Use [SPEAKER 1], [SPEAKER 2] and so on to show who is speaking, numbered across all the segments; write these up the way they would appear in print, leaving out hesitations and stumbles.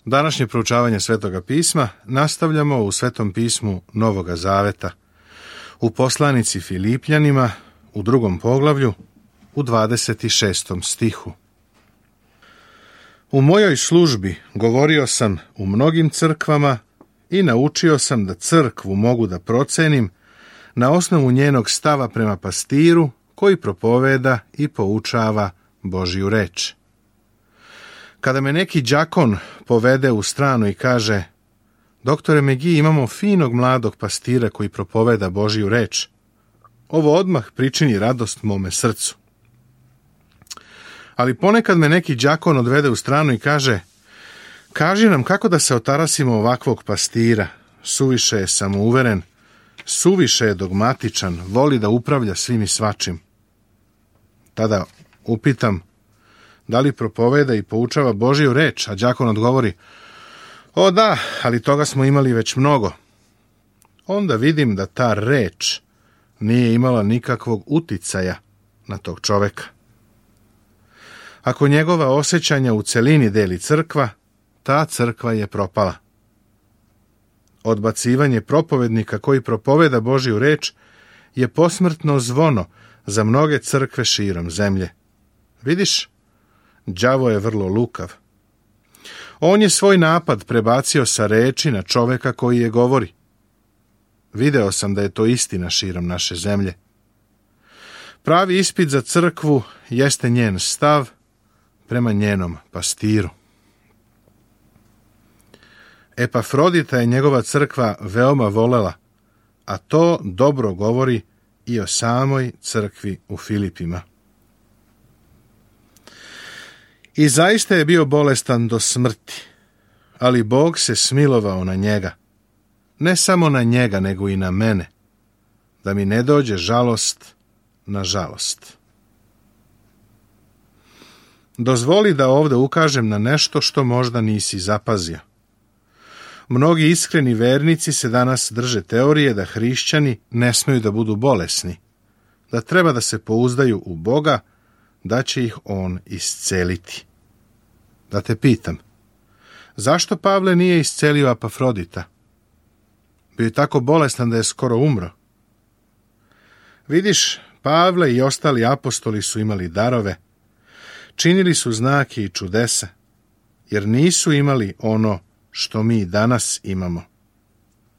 [SPEAKER 1] Današnje proučavanje Svetoga pisma nastavljamo u Svetom pismu Novoga Zaveta, u poslanici Filipljanima, u 2. poglavlju, u 26. stihu. U mojoj službi govorio sam u mnogim crkvama i naučio sam da crkvu mogu da procenim na osnovu njenog stava prema pastiru koji propoveda i poučava Božju reč. Kada me neki đakon povede u stranu i kaže: doktore Megi, imamo finog mladog pastira koji propoveda Božju reč, ovo odmah pričini radost mome srcu. Ali ponekad me neki đakon odvede u stranu i kaže: kaži nam kako da se otarasimo ovakvog pastira, suviše je samouveren, suviše je dogmatičan, voli da upravlja svim i svačim. Tada upitam: da li propoveda i poučava Božju reč? A đakon odgovori: o da, ali toga smo imali već mnogo. Onda vidim da ta reč nije imala nikakvog uticaja na tog čoveka. Ako njegova osjećanja u celini deli crkva, ta crkva je propala. Odbacivanje propovednika koji propoveda Božju reč je posmrtno zvono za mnoge crkve širom zemlje. Vidiš, đavo je vrlo lukav. On je svoj napad prebacio sa reči na čoveka koji je govori. Video sam da je to istina širom naše zemlje. Pravi ispit za crkvu jeste njen stav prema njenom pastiru. Epafrodita je njegova crkva veoma volela, a to dobro govori i o samoj crkvi u Filipima. I zaista je bio bolestan do smrti, ali Bog se smilovao na njega, ne samo na njega, nego i na mene, da mi ne dođe žalost na žalost. Dozvoli da ovdje ukažem na nešto što možda nisi zapazio. Mnogi iskreni vernici se danas drže teorije da hrišćani ne smeju da budu bolesni, da treba da se pouzdaju u Boga, da će ih on isceliti. Da te pitam, zašto Pavle nije iscelio Epafrodita? Bio je tako bolestan da je skoro umro. Vidiš, Pavle i ostali apostoli su imali darove, činili su znake i čudesa, jer nisu imali ono što mi danas imamo,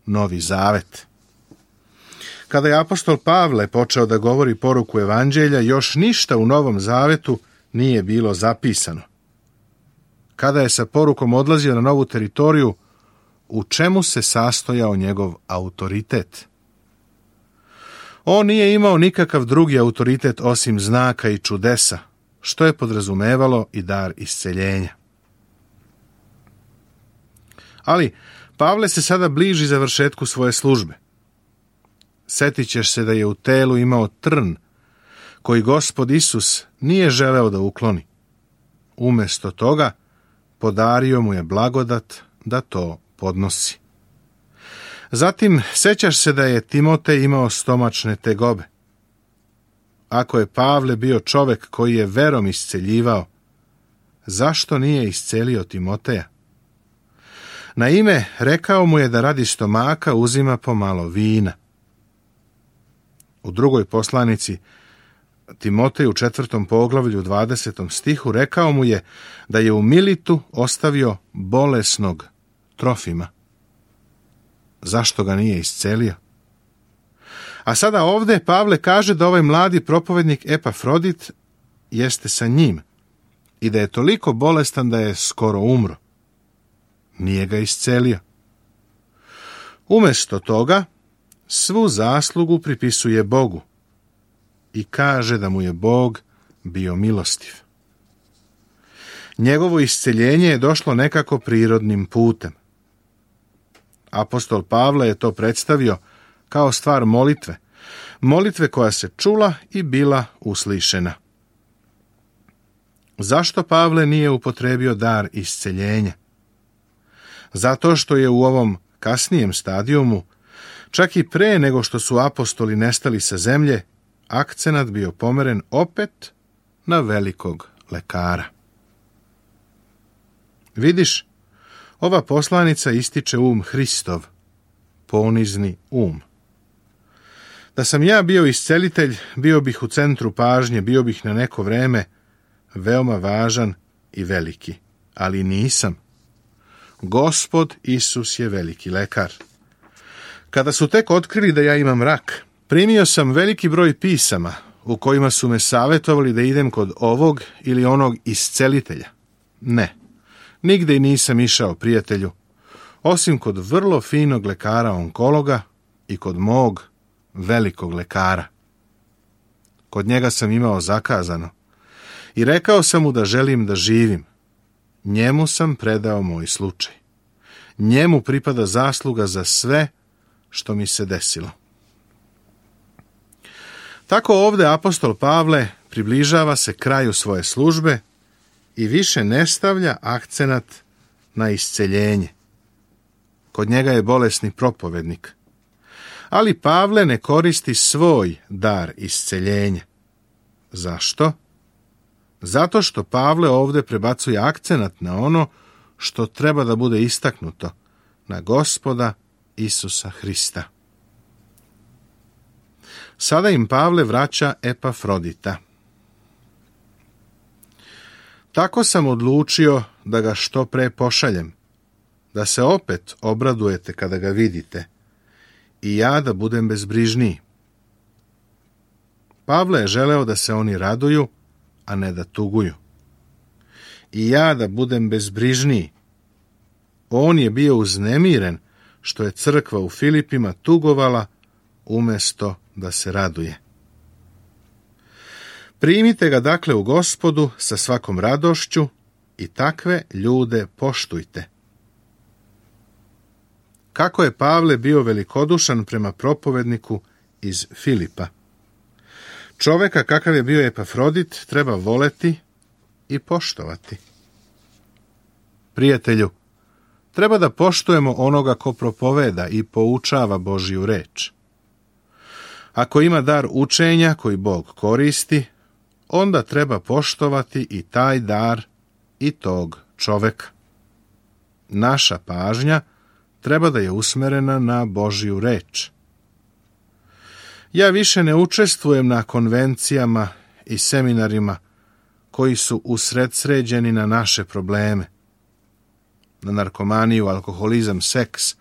[SPEAKER 1] Novi Zavet. Kada je apostol Pavle počeo da govori poruku evanđelja, još ništa u Novom Zavetu nije bilo zapisano. Kada je sa porukom odlazio na novu teritoriju, u čemu se sastojao njegov autoritet? On nije imao nikakav drugi autoritet osim znaka i čudesa, što je podrazumevalo i dar isceljenja. Ali Pavle se sada bliži završetku svoje službe. Setit ćeš se da je u telu imao trn, koji Gospod Isus nije želeo da ukloni. Umesto toga, podario mu je blagodat da to podnosi. Zatim, sećaš se da je Timotej imao stomačne tegobe. Ako je Pavle bio čovek koji je verom isceljivao, zašto nije iscelio Timoteja? Naime, rekao mu je da radi stomaka uzima pomalo vina. U 2. poslanici Timoteju 4. poglavlju 20. stihu rekao mu je da je u Militu ostavio bolesnog Trofima. Zašto ga nije iscelio? A sada ovdje Pavle kaže da ovaj mladi propovednik Epafrodit jeste sa njim i da je toliko bolestan da je skoro umro. Nije ga iscelio. Umesto toga, svu zaslugu pripisuje Bogu i kaže da mu je Bog bio milostiv. Njegovo isceljenje je došlo nekako prirodnim putem. Apostol Pavle je to predstavio kao stvar molitve, molitve koja se čula i bila uslišena. Zašto Pavle nije upotrebio dar isceljenja? Zato što je u ovom kasnijem stadijumu, čak i pre nego što su apostoli nestali sa zemlje, akcenat bio pomeren opet na velikog lekara. Vidiš, Ova poslanica ističe Hristov, ponizni Da sam ja bio iscelitelj, bio bih u centru pažnje, bio bih na neko vreme veoma važan i veliki, ali nisam. Gospod Isus je veliki lekar. Kada su tek otkrili da ja imam rak, primio sam veliki broj pisama u kojima su me savjetovali da idem kod ovog ili onog iscelitelja. Ne, nigde i nisam išao, prijatelju, osim kod vrlo finog lekara onkologa i kod mog velikog lekara. Kod njega sam imao zakazano i rekao sam mu da želim da živim. Njemu sam predao moj slučaj. Njemu pripada zasluga za sve što mi se desilo. Tako ovdje apostol Pavle približava se kraju svoje službe i više ne stavlja akcenat na isceljenje. Kod njega je bolesni propovednik. Ali Pavle ne koristi svoj dar isceljenja. Zašto? Zato što Pavle ovdje prebacuje akcenat na ono što treba da bude istaknuto, na Gospoda Isusa Hrista. Sada im Pavle vraća Epafrodita. Tako sam odlučio da ga što pre pošaljem, da se opet obradujete kada ga vidite, i ja da budem bezbrižniji. Pavle je želeo da se oni raduju, a ne da tuguju. I ja da budem bezbrižniji. On je bio uznemiren što je crkva u Filipima tugovala umjesto da se raduje. Primite ga dakle u Gospodu sa svakom radošću i takve ljude poštujte. Kako je Pavle bio velikodušan prema propovedniku iz Filipa. Čoveka kakav je bio Epafrodit treba voleti i poštovati. Prijatelju, treba da poštujemo onoga ko propoveda i poučava Božju reč. Ako ima dar učenja koji Bog koristi, onda treba poštovati i taj dar i tog čoveka. Naša pažnja treba da je usmerena na Božju reč. Ja više ne učestvujem na konvencijama i seminarima koji su usredsređeni na naše probleme. Na narkomaniju, alkoholizam, seks,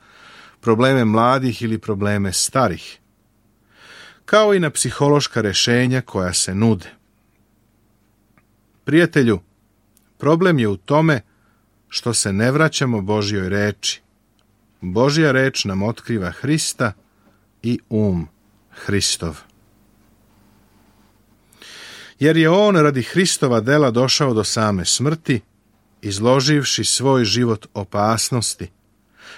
[SPEAKER 1] probleme mladih ili probleme starih. Kao i na psihološka rješenja koja se nude. Prijatelju, problem je u tome što se ne vraćamo Božjoj reči. Božja reč nam otkriva Hrista i Hristov. Jer je on radi Hristova dela došao do same smrti, izloživši svoj život opasnosti,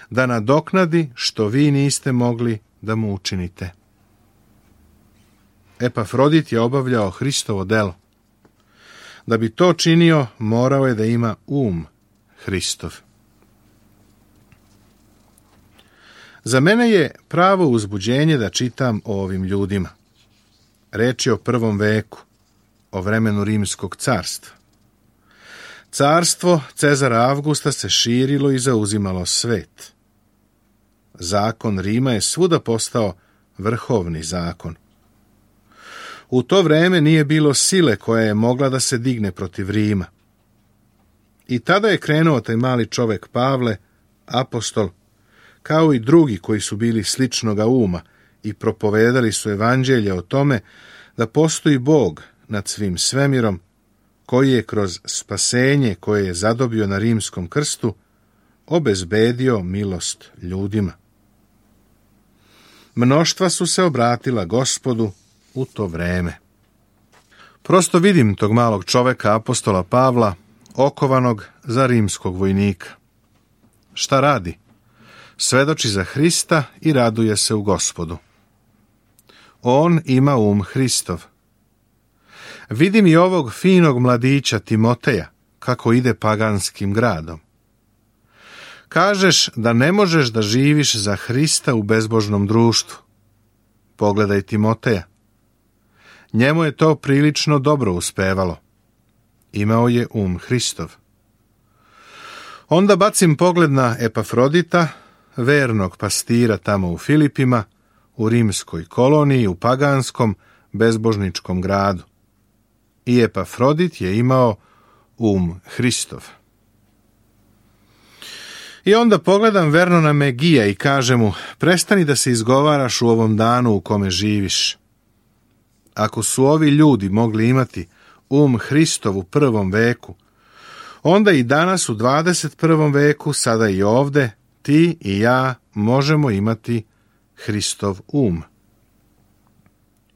[SPEAKER 1] da nadoknadi što vi niste mogli da mu učinite. Epafrodit je obavljao Hristovo delo. Da bi to činio, morao je da ima Hristov. Za mene je pravo uzbuđenje da čitam o ovim ljudima. Reč je o 1. veku, o vremenu Rimskog carstva. Carstvo Cezara Avgusta se širilo i zauzimalo svet. Zakon Rima je svuda postao vrhovni zakon. U to vreme nije bilo sile koja je mogla da se digne protiv Rima. I tada je krenuo taj mali čovek Pavle, apostol, kao i drugi koji su bili sličnoga uma i propovedali su evanđelje o tome da postoji Bog nad svim svemirom, koji je kroz spasenje koje je zadobio na rimskom krstu obezbedio milost ljudima. Mnoštva su se obratila Gospodu u to vreme. Prosto vidim tog malog čoveka, apostola Pavla, okovanog za rimskog vojnika. Šta radi? Svedoči za Hrista i raduje se u Gospodu. On ima Hristov. Vidim i ovog finog mladića Timoteja, kako ide paganskim gradom. Kažeš da ne možeš da živiš za Hrista u bezbožnom društvu. Pogledaj Timoteja. Njemu je to prilično dobro uspevalo. Imao je Hristov. Onda bacim pogled na Epafrodita, vernog pastira tamo u Filipima, u rimskoj koloniji, u paganskom, bezbožničkom gradu. I Epafrodit je imao Hristov. I onda pogledam verno na Megija i kažem mu, prestani da se izgovaraš u ovom danu u kome živiš. Ako su ovi ljudi mogli imati Hristov u 1. veku, onda i danas u 21. veku, sada i ovde, ti i ja možemo imati Hristov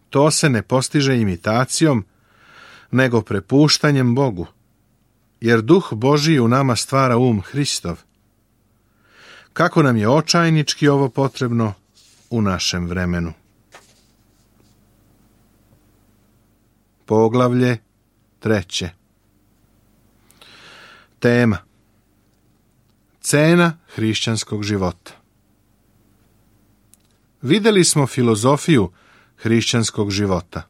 [SPEAKER 1] To se ne postiže imitacijom, nego prepuštanjem Bogu, jer Duh Božji u nama stvara Hristov. Kako nam je očajnički ovo potrebno u našem vremenu. Poglavlje 3. Tema: cena hrišćanskog života. Vidjeli smo filozofiju hrišćanskog života.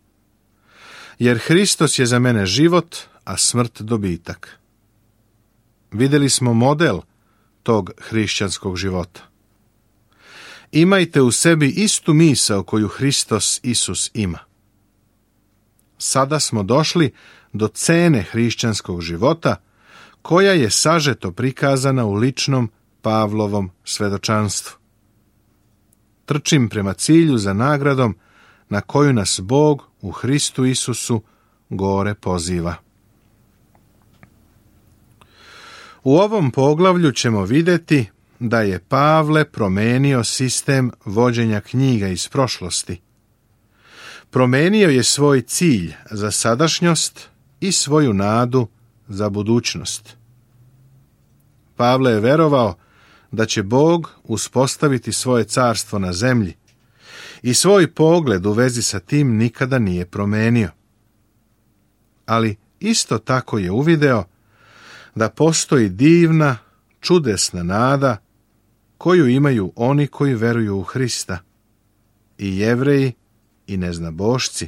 [SPEAKER 1] Jer Hristos je za mene život, a smrt dobitak. Vidjeli smo model tog hrišćanskog života. Imajte u sebi istu misao koju Hristos Isus ima. Sada smo došli do cene hrišćanskog života, koja je sažeto prikazana u ličnom Pavlovom svedočanstvu. Trčim prema cilju za nagradom na koju nas Bog u Hristu Isusu gore poziva. U ovom poglavlju ćemo vidjeti da je Pavle promenio sistem vođenja knjiga iz prošlosti. Promenio je svoj cilj za sadašnjost i svoju nadu za budućnost. Pavle je verovao da će Bog uspostaviti svoje carstvo na zemlji i svoj pogled u vezi sa tim nikada nije promenio. Ali isto tako je uvideo da postoji divna, čudesna nada koju imaju oni koji veruju u Hrista, i Jevreji i neznabošci.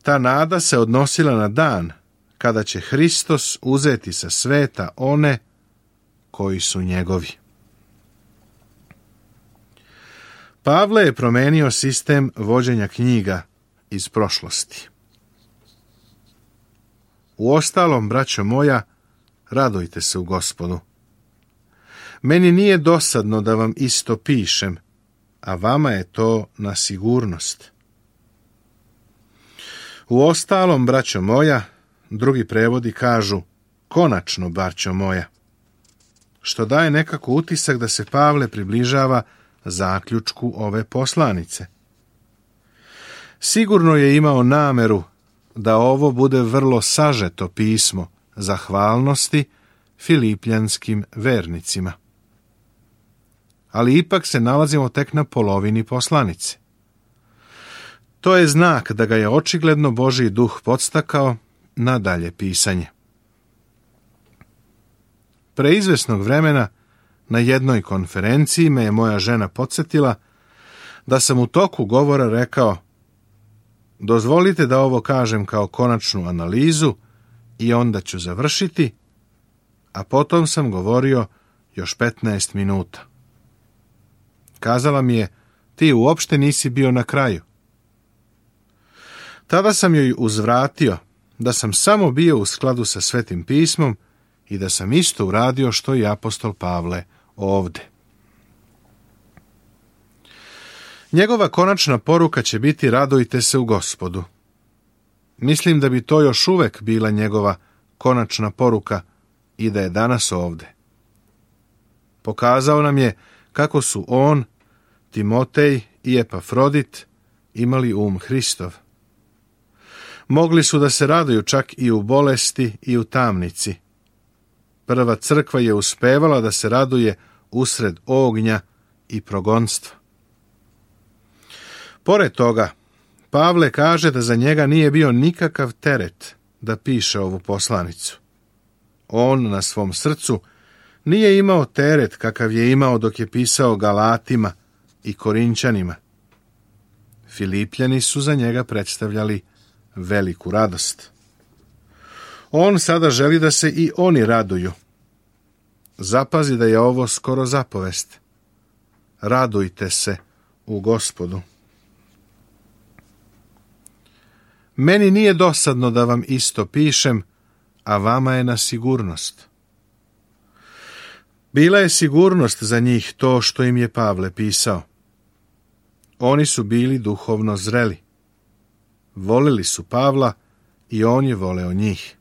[SPEAKER 1] Ta nada se odnosila na dan kada će Hristos uzeti sa sveta one koji su njegovi. Pavle je promenio sistem vođenja knjiga iz prošlosti. Uostalom, braćo moja, radujte se u Gospodu. Meni nije dosadno da vam isto pišem, a vama je to na sigurnost. Uostalom, braćo moja, drugi prevodi kažu, konačno, braćo moja, što daje nekako utisak da se Pavle približava zaključku ove poslanice. Sigurno je imao nameru da ovo bude vrlo sažeto pismo zahvalnosti filipljanskim vernicima. Ali ipak se nalazimo tek na polovini poslanice. To je znak da ga je očigledno Božji duh podstakao na dalje pisanje. Pre izvesnog vremena na jednoj konferenciji me je moja žena podsjetila da sam u toku govora rekao: dozvolite da ovo kažem kao konačnu analizu i onda ću završiti, a potom sam govorio još 15 minuta. Kazala mi je: ti uopšte nisi bio na kraju. Tada sam joj uzvratio da sam samo bio u skladu sa Svetim pismom i da sam isto uradio što i apostol Pavle ovde. Njegova konačna poruka će biti: radujte se u Gospodu. Mislim da bi to još uvek bila njegova konačna poruka i da je danas ovde. Pokazao nam je kako su on, Timotej i Epafrodit imali Hristov. Mogli su da se raduju čak i u bolesti i u tamnici. Prva crkva je uspevala da se raduje usred ognja i progonstva. Pored toga, Pavle kaže da za njega nije bio nikakav teret da piše ovu poslanicu. On na svom srcu nije imao teret kakav je imao dok je pisao Galatima i Korinćanima. Filipljani su za njega predstavljali veliku radost. On sada želi da se i oni raduju. Zapazi da je ovo skoro zapovest. Radujte se u Gospodu. Meni nije dosadno da vam isto pišem, a vama je na sigurnost. Bila je sigurnost za njih to što im je Pavle pisao. Oni su bili duhovno zreli. Volili su Pavla i on je voleo njih.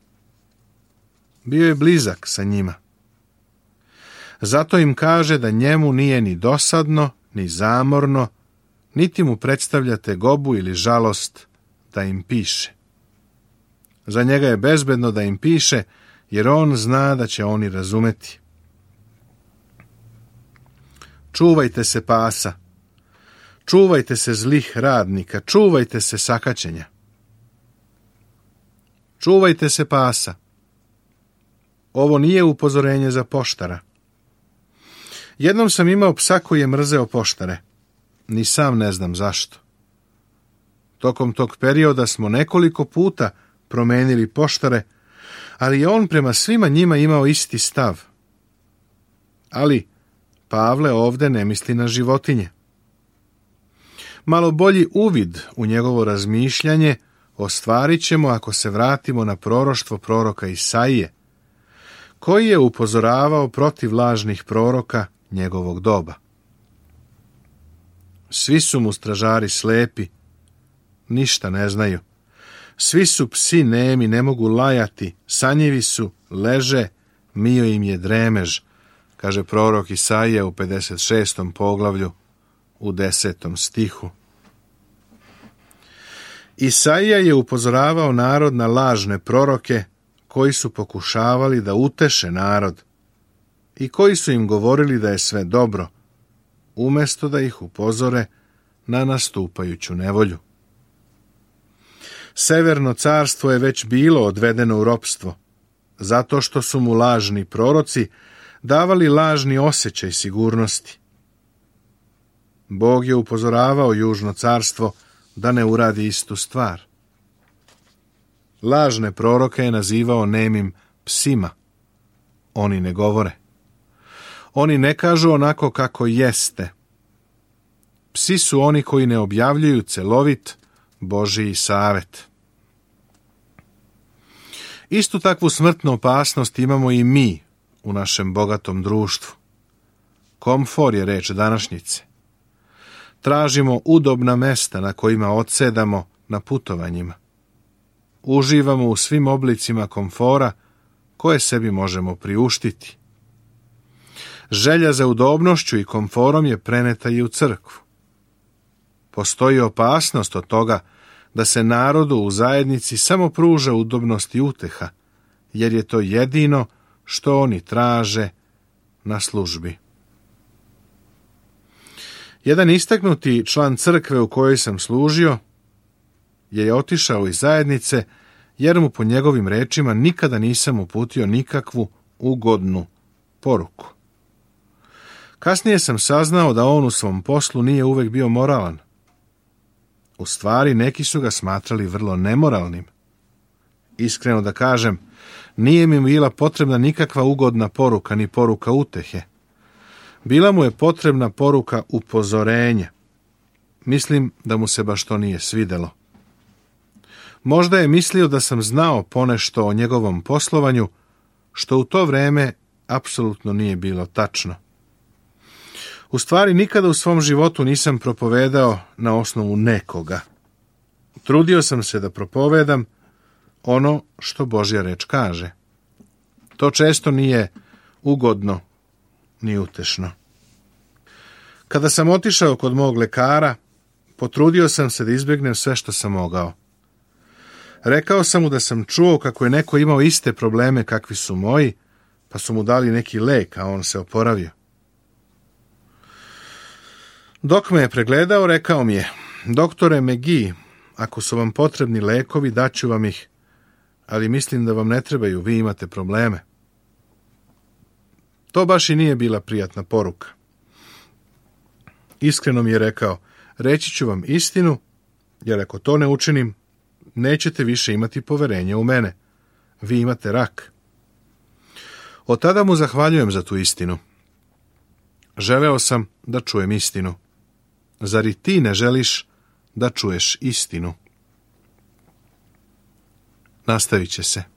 [SPEAKER 1] Bio je blizak sa njima. Zato im kaže da njemu nije ni dosadno, ni zamorno, niti mu predstavlja tegobu ili žalost da im piše. Za njega je bezbedno da im piše, jer on zna da će oni razumeti. Čuvajte se pasa, čuvajte se zlih radnika, čuvajte se sakaćenja. Čuvajte se pasa. Ovo nije upozorenje za poštara. Jednom sam imao psa koji je mrzeo poštare. Ni sam ne znam zašto. Tokom tog perioda smo nekoliko puta promenili poštare, ali je on prema svima njima imao isti stav. Ali Pavle ovde ne misli na životinje. Malo bolji uvid u njegovo razmišljanje ostvarit ćemo ako se vratimo na proroštvo proroka Isaije, koji je upozoravao protiv lažnih proroka njegovog doba. Svi su mu stražari slepi, ništa ne znaju. Svi su psi nemi, ne mogu lajati, sanjivi su, leže, mio im je dremež, kaže prorok Isaija u 56. poglavlju u 10. stihu. Isaija je upozoravao narod na lažne proroke koji su pokušavali da uteše narod i koji su im govorili da je sve dobro, umjesto da ih upozore na nastupajuću nevolju. Severno carstvo je već bilo odvedeno u ropstvo, zato što su mu lažni proroci davali lažni osjećaj sigurnosti. Bog je upozoravao južno carstvo da ne uradi istu stvar. Lažne proroke je nazivao nemim psima. Oni ne govore. Oni ne kažu onako kako jeste. Psi su oni koji ne objavljuju celovit Božiji savet. Istu takvu smrtnu opasnost imamo i mi u našem bogatom društvu. Komfor je reč današnjice. Tražimo udobna mesta na kojima odsedamo na putovanjima. Uživamo u svim oblicima komfora koje sebi možemo priuštiti. Želja za udobnošću i komforom je preneta i u crkvu. Postoji opasnost od toga da se narodu u zajednici samo pruža udobnost i uteha, jer je to jedino što oni traže na službi. Jedan istaknuti član crkve u kojoj sam služio je otišao iz zajednice jer mu po njegovim rečima nikada nisam uputio nikakvu ugodnu poruku. Kasnije sam saznao da on u svom poslu nije uvek bio moralan. U stvari, neki su ga smatrali vrlo nemoralnim. Iskreno da kažem, nije mi bila potrebna nikakva ugodna poruka ni poruka utehe. Bila mu je potrebna poruka upozorenja. Mislim da mu se baš to nije svidelo. Možda je mislio da sam znao ponešto o njegovom poslovanju, što u to vreme apsolutno nije bilo tačno. U stvari, nikada u svom životu nisam propovedao na osnovu nekoga. Trudio sam se da propovedam ono što Božja reč kaže. To često nije ugodno ni utešno. Kada sam otišao kod mog lekara, potrudio sam se da izbjegnem sve što sam mogao. Rekao sam mu da sam čuo kako je neko imao iste probleme kakvi su moji, pa su mu dali neki lek, a on se oporavio. Dok me je pregledao, rekao mi je: doktore McGee, ako su vam potrebni lekovi, daću vam ih, ali mislim da vam ne trebaju, vi imate probleme. To baš i nije bila prijatna poruka. Iskreno mi je rekao: reći ću vam istinu, jer ako to ne učinim, nećete više imati poverenja u mene. Vi imate rak. Od tada mu zahvaljujem za tu istinu. Želeo sam da čujem istinu. Zar i ti ne želiš da čuješ istinu? Nastavit će se.